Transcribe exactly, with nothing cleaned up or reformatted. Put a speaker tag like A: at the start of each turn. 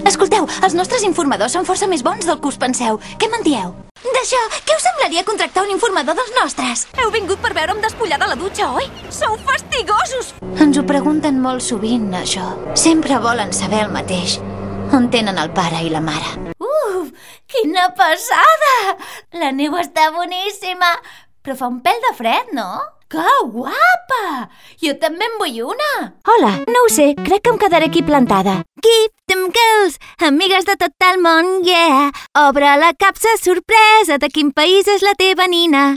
A: Escolteu, els nostres informadors són força més bons del que us penseu. Què me'n dieu? D'això, què us semblaria contractar un informador dels nostres?
B: Heu vingut per veure'm despullada a la dutxa, oi? Sou fastigosos!
A: Ens ho pregunten molt sovint, això. Sempre volen saber el mateix. On tenen el pare i la mare?
B: Uf, quina passada! La neu està boníssima, però fa un pèl de fred, no? Que guapa! Jo també en vull una!
C: Hola, no ho sé, crec que em quedaré aquí plantada. Give them girls, amigues de tot el món, yeah! Obre la capsa sorpresa, de quin país és la teva nina?